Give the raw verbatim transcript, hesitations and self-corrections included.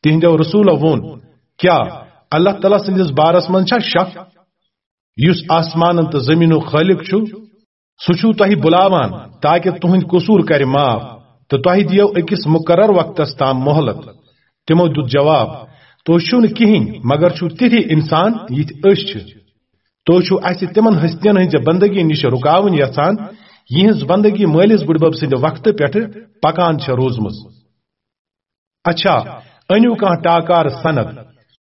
تِہنٛدیو رسولو ووٚن، کیٛاہ اللہ تعالیٰ سٕنٛدِس بارس منٛز چھا شک؟ یُس آسمانن تہٕ زٔمیٖنُک خٲلق چھُ، سُہ چھُو تۄہہِ بُلاوان تاکہ تُہنٛدۍ قصوٗر کرِ معاف تہٕ تۄہہِ دِیو أکِس مُقرر وقتس تام مۄہلت۔ تِمو دیُت جواب، تُہۍ چھِو نہٕ کِہیٖنۍ مگر چھِو تِتھی انسان یِتھۍ أسۍ چھِ۔ تُہۍ چھِو اَسہِ تِمن ہستین ہٕنٛزِ بندگی نِش رُکاوٕنۍ یژھان، یِہٕنٛز بندگی مٲلِس بُڈبب سٕنٛدِ وقتہٕ پٮ۪ٹھٕ پکان چھےٚ روٗزمٕژ۔ اچھا، أنِو کانٛہہ ٹاکار سند۔